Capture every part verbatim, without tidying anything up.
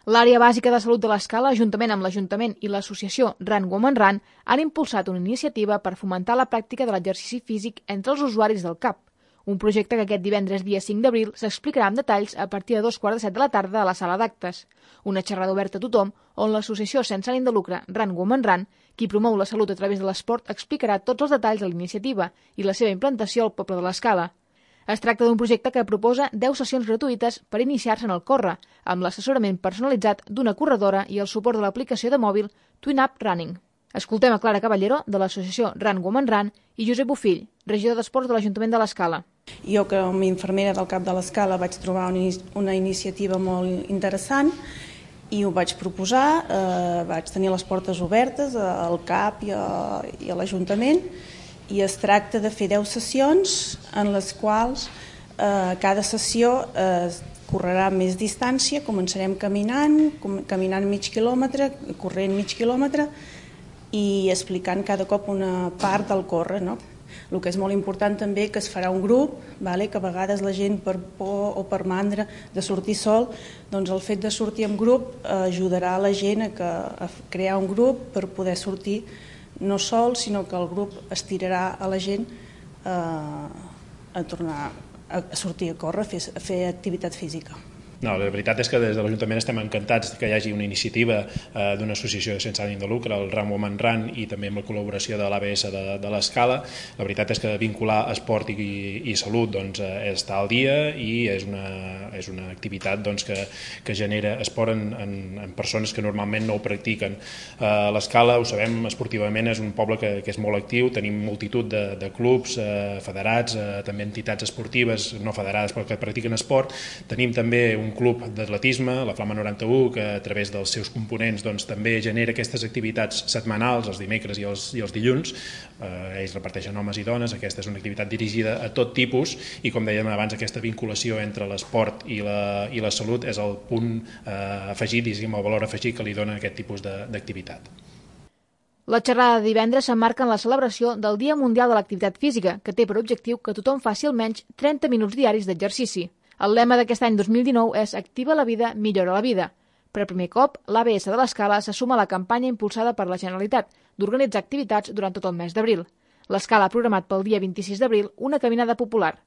L'Àrea Bàsica de Salut de l'Escala, juntament amb l'Ajuntament i l'associació Run Women Run, han impulsat una iniciativa per fomentar la pràctica de l'exercici físic entre els usuaris del C A P, un projecte que aquest divendres dia cinc d'abril s'explicarà amb detalls a partir de dos quarts de set de la tarda a la sala d'actes. Una xerrada oberta a tothom on l'associació sense ànim de lucre Run Women Run, qui promou la salut a través de l'esport, explicarà tots els detalls de l'iniciativa i la seva implantació al poble de l'Escala. Es tracta d'un projecte que proposa deu sessions gratuïtes per iniciar-se en el córrer, amb l'assessorament personalitzat d'una corredora i el suport de l'aplicació de mòbil TwinUp Running. Escoltem a Clara Caballero, de l'associació Run Women Run, i Josep Bofill, regidor d'Esports de l'Ajuntament de l'Escala. Jo, com a infermera del CAP de l'Escala, vaig trobar una iniciativa molt interessant i ho vaig proposar. Eh, vaig tenir les portes obertes al CAP i a, i a l'Ajuntament, i es tracta de fer deu sessions en les quals eh, cada sessió eh, correrà més distància, començarem caminant, com, caminant mig quilòmetre, corrent mig quilòmetre i explicant cada cop una part del córrer, no? El que és molt important també que es farà un grup, vale? Que a vegades la gent per por o per mandra de sortir sol, doncs el fet de sortir en grup eh, ajudarà a la gent a, que, a crear un grup per poder sortir no sol, sinó que el grup estirarà a la gent eh, a tornar a sortir a córrer, a fer, a fer activitat física. No, la veritat és que des de l'Ajuntament estem encantats que hi hagi una iniciativa eh, d'una associació sense ànim de lucre, el Run Women Run, i també amb la col·laboració de l'A B S de, de l'Escala. La veritat és que vincular esport i, i salut doncs, eh, està al dia i és una, és una activitat doncs, que, que genera esport en, en, en persones que normalment no ho practiquen. Eh, L'Escala, ho sabem, esportivament és un poble que, que és molt actiu, tenim multitud de, de clubs eh, federats, eh, també entitats esportives no federades però que practiquen esport. Tenim també un club d'atletisme, la Flama noranta-u, que a través dels seus components doncs, també genera aquestes activitats setmanals, els dimecres i els, i els dilluns. Eh, ells reparteixen homes i dones, aquesta és una activitat dirigida a tot tipus i, com dèiem abans, aquesta vinculació entre l'esport i, la, i la salut és el punt eh, afegit, diguéssim, el valor afegit que li dona aquest tipus d'activitat. La xerrada de divendres s'emmarca en la celebració del Dia Mundial de l'Activitat Física, que té per objectiu que tothom faci almenys trenta minuts diaris d'exercici. El lema d'aquest any dos mil dinou és Activa la vida, millora la vida. Per primer cop, l'A B S de l'Escala se suma a la campanya impulsada per la Generalitat d'organitzar activitats durant tot el mes d'abril. L'Escala ha programat pel dia vint-i-sis d'abril una caminada popular.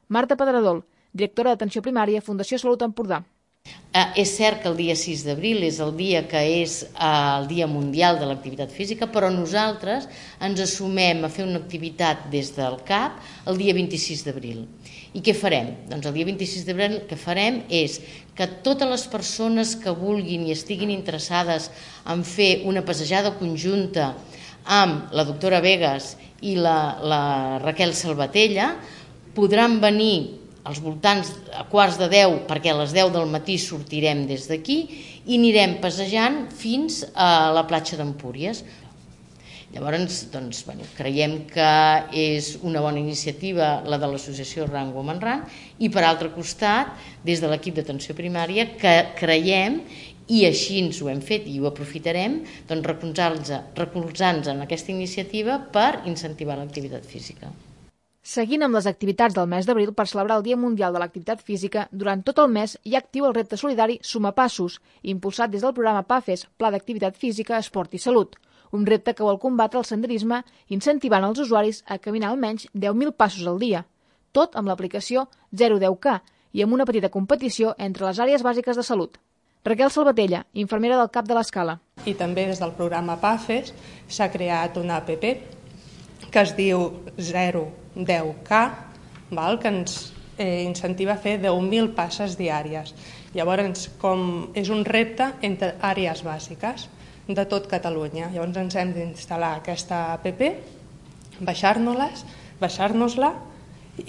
Marta Pedradol, directora d'Atenció Primària, Fundació Salut Empordà. Eh, és cert que el dia sis d'abril és el dia que és eh, el Dia Mundial de l'Activitat Física, però nosaltres ens assumem a fer una activitat des del CAP el dia vint-i-sis d'abril. I què farem? Doncs el dia vint-i-sis d'abril el que farem és que totes les persones que vulguin i estiguin interessades en fer una passejada conjunta amb la doctora Vegas i la, la Raquel Salvatella podran venir als voltants a quarts de deu, perquè a les deu del matí sortirem des d'aquí i anirem passejant fins a la platja d'Empúries. Llavors, doncs, bueno, creiem que és una bona iniciativa la de l'associació Run Women Run i, per altre costat, des de l'equip d'atenció primària, que creiem, i així ens ho hem fet i ho aprofitarem, doncs recolzant-nos en aquesta iniciativa per incentivar l'activitat física. Seguint amb les activitats del mes d'abril per celebrar el Dia Mundial de l'Activitat Física, durant tot el mes hi ha actiu el repte solidari Sumar Passos, impulsat des del programa PAFES, Pla d'Activitat Física, Esport i Salut, un repte que vol combatre el senderisme incentivant els usuaris a caminar almenys deu mil passos al dia, tot amb l'aplicació zero deu K i amb una petita competició entre les àrees bàsiques de salut. Raquel Salvatella, infermera del CAP de l'Escala. I també des del programa PAFES s'ha creat una app que es diu zero deu K, val? Que ens eh, incentiva a fer deu mil passes diàries. Llavors, com és un repte entre àrees bàsiques de tot Catalunya. Llavors ens hem d'instal·lar aquesta app, baixar-nos-les, baixar-nos-la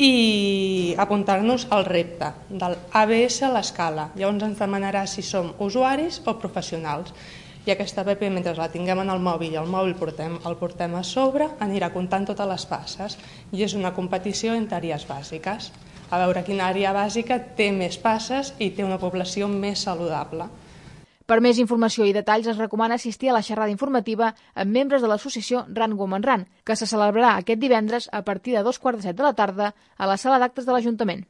i apuntar-nos al repte del A B S a l'Escala. Llavors ens demanarà si som usuaris o professionals. I aquesta app, mentre la tinguem en el mòbil i el mòbil portem, el portem a sobre, anirà comptant totes les passes i és una competició entre àrees bàsiques. A veure quina àrea bàsica té més passes i té una població més saludable. Per més informació i detalls es recomana assistir a la xerrada informativa amb membres de l'associació Run Women Run, que se celebrarà aquest divendres a partir de dos quarts de set de la tarda a la sala d'actes de l'Ajuntament.